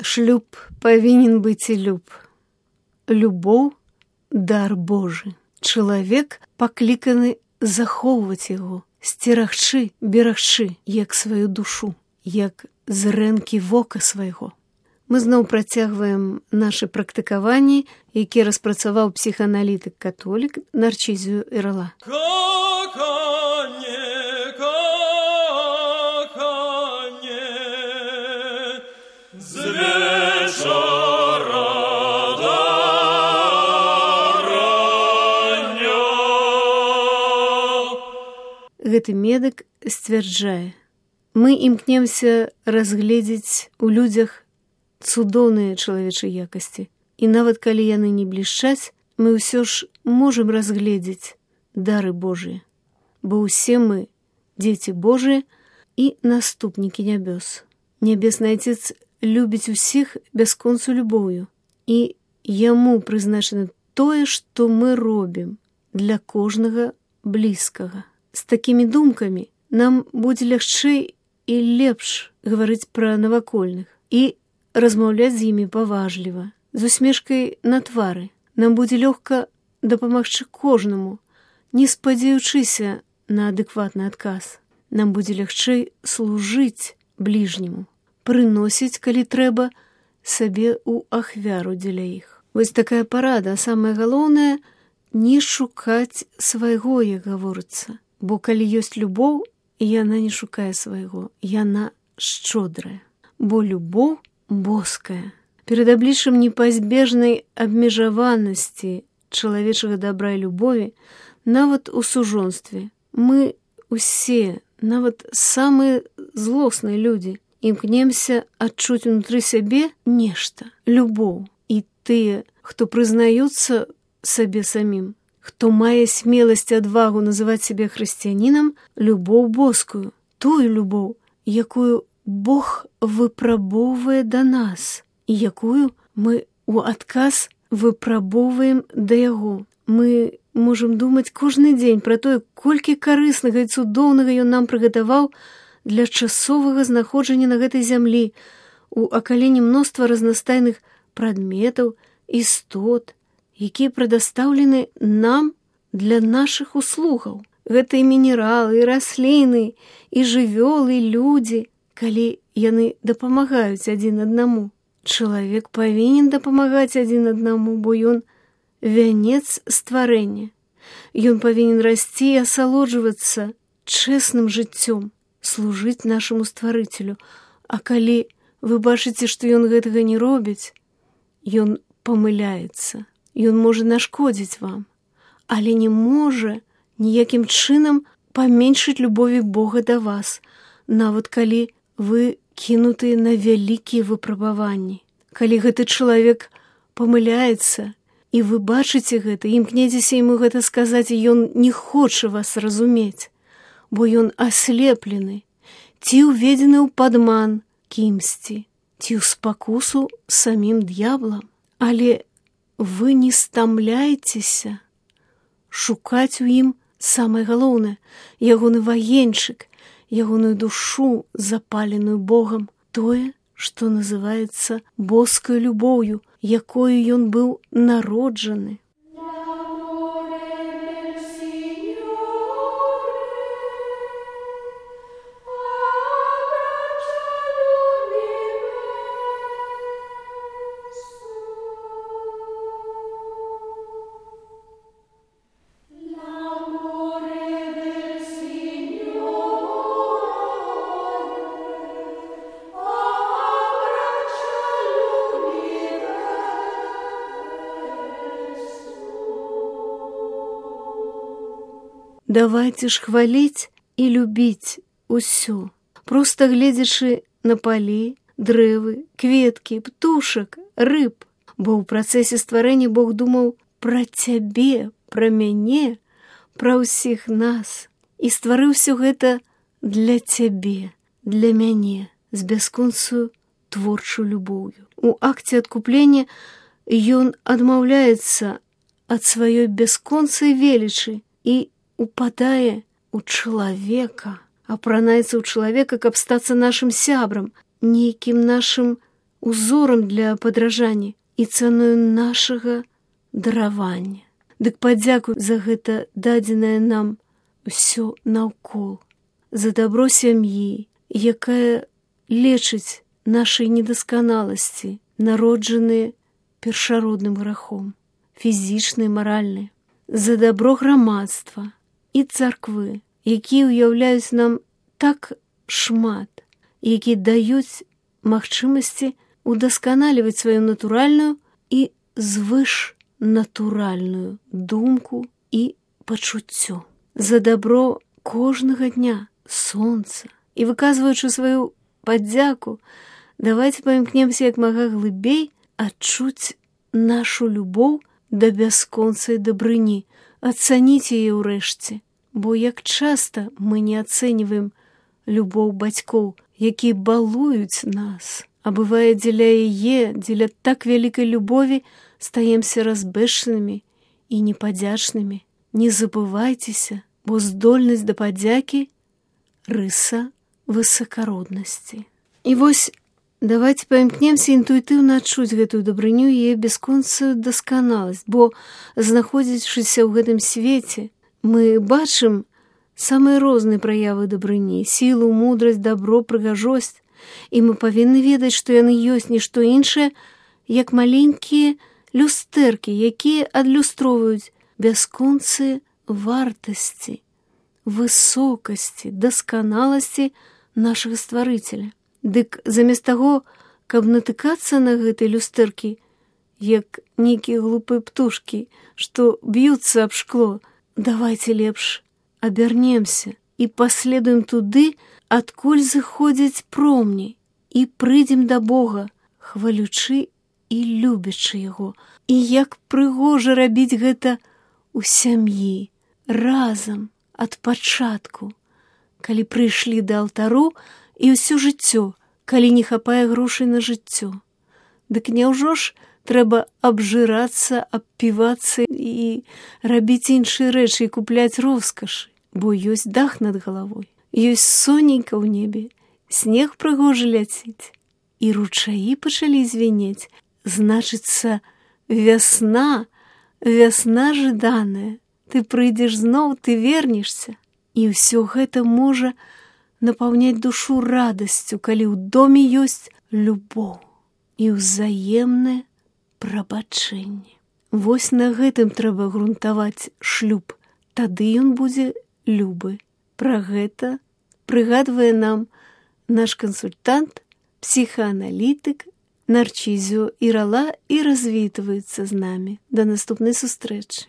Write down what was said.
Шлюб павінен быць і люб. Любоў – дар Божы. Чалавек пакліканы захоўваць яго, сцерагчы, берагчы, як сваю душу, як зрэнкі вока свайго. Мы зноў працягваем нашы практыкаванні, якія распрацаваў псіхааналітык-католік Нарцізію Эрла. Гэты медык сцвярджае: мы імкнемся разгледзець у людзях цудоўныя чалавечыя якасці. І нават калі яны не блішчаць, мы ўсё ж можам разгледзець дары Божыя, бо ўсе мы дзеці Божыя і наступнікі нябёс. Нябесны Отец любіць усіх бясконцу любоўю, і яму прызначана тое, што мы робім для кожнага блізкага. З такімі думкамі нам будзе лягчэй і лепш гаварыць пра навакольных і размаўляць з імі паважліва, з усмешкай на твары. Нам будзе лёгка дапамагчы кожнаму, не спадзяючыся на адэкватны адказ. Нам будзе лягчэй служыць бліжняму, прыносіць, калі трэба, сабе ў ахвяру дзеля іх. Вось такая парада, а самае галоўнае – не шукаць свайго, як гаворыцца. Бо калі ёсць любоў, яна не шукае свайго, яна шчодрая. Бо любоў боская. Перад абліччам непазбежнай абмежаванасці чалавечага дабра і любові, нават у сужонстве, мы усе, нават самыя злосныя людзі, імкнемся адчуць унутры сябе нешта, любоў. І тыя, хто прызнаюцца сабе самім, хто мае смеласць і адвагу называць сябе хрысціянінам, любоў боскую, тую любоў, якую Бог выпрабоўвае да нас, і якую мы у адказ выпрабоўваем да Яго. Мы можам думаць кожны дзень пра тое, колькі карыснага і цудоўнага Ён нам прыгатаваў для часовага знаходжання на гэтай зямлі, у акаленні мноства разнастайных прадметаў, істот, якія прадастаўлены нам для нашых услугаў. Гэта і мінералы, і расліны, і жывёлы, і людзі, калі яны дапамагаюць адзін аднаму. Чалавек павінен дапамагаць адзін аднаму, бо ён вянец стварэння. Ён павінен расці і асалоджвацца чэсным жыццём, служыць нашаму стварыцелю. А калі вы бачыце, што ён гэтага не робіць, ён памыляецца. Ён можа нашкодзіць вам, але не можа ніякім чынам паменшыць любові Бога да вас, нават калі вы кінутыя на вялікія выпрабаванні. Калі гэты чалавек памыляецца, і вы бачыце гэта, імкнецеся яму гэта сказаць, і ён не хоча вас разумець, бо ён аслеплены, ці ўведзены ў падман кімсьці, ці ў спакусу самім д'яблам. Але вы не стамляйцеся шукаць у ім самае галоўнае, ягоны ваенчык, ягоную душу, запаленую Богам, тое, што называецца боскай любоўю, якою ён быў народжаны. Давайце ж хваліць і любіць усё, проста гледзячы на палі, дрэвы, кветкі, птушак, рыб, бо ў працэсе стварэння Бог думаў пра цябе, пра мяне, пра ўсіх нас, і стварыў усё гэта для цябе, для мяне, з бясконцую творчую любоўю. У акце адкуплення ён адмаўляецца ад сваёй бясконцай велічы і упадае ў чалавека, апранаецца ў чалавека, каб стацца нашым сябрам, нейкім нашым узорам для падражання і цаною нашага даравання. Дык падзякуй за гэта дадзенае нам усё наўкол, за дабро сям'і, якая лечыць нашай недасканаласці, народжаныя першародным грахом, фізічнай, маральнай, за дабро грамадства і царквы, якія ўяўляюць нам так шмат, якія даюць магчымасці удасканаліваць сваю натуральную і звышнатуральную думку і пачуццё. За дабро кожнага дня, сонца. І выказваючы сваю падзяку, давайте паімкнемся як мага глыбей адчуць нашу любоў да бясконцай дабрыні, ацаніць яе ўрэшце, бо як часта мы не ацэньваем любоў бацькоў, якія балуюць нас, а бывае дзеля яе, дзеля так вялікай любові стаемся разбэшанымі і непадзячнымі. Не забывайцеся, бо здольнасць да падзякі – рыса высакароднасці. І вось давайте паімкнемся інтуітыўна адчуць гэтую дабрыню і яе бясконцую дасканаласць, бо, знаходзячыся ў гэтым свеце, мы бачым самыя розныя праявы дабрыні, сілу, мудрасць, дабро, прыгажосць, і мы павінны ведаць, што яны ёсць не што іншае, як маленькія люстэркі, якія адлюстроўваюць бясконцыя вартасці, высокасці, дасканаласці нашага стварыцеля. Дык замест таго, каб натыкацца на гэтыя люстэркі, як нейкія глупыя птушкі, што б'юцца аб шкло, давайте лепш абярнемся і паследуем туды, адкуль зыходзяць промні, і прыйдзем да Бога, хвалючы і любячы яго. І як прыгожа рабіць гэта у сям'і, разам, ад пачатку, калі прыйшлі да алтару, і ўсё жыццё, калі не хапае грошай на жыццё. Дык няўжо ж трэба абжырацца, абпівацца і рабіць іншыя рэчы і купляць роскашы, бо ёсць дах над галавой, ёсць сонейка ў небе, снег прыгожа ляціць, і ручаі пачалі звінець, значыцца, вясна, вясна жаданая, ты прыйдзеш зноў, ты вернешся, і ўсё гэта можа напаўняць душу радасцю, калі ў доме ёсць любоў і ўзаемнае прабачэнне. Вось на гэтым трэба грунтаваць шлюб, тады ён будзе любы. Пра гэта прыгадвае нам наш кансультант, псіхааналітык Нарчізіо Ірала і развітваецца з намі. Да наступнай сустрэчы.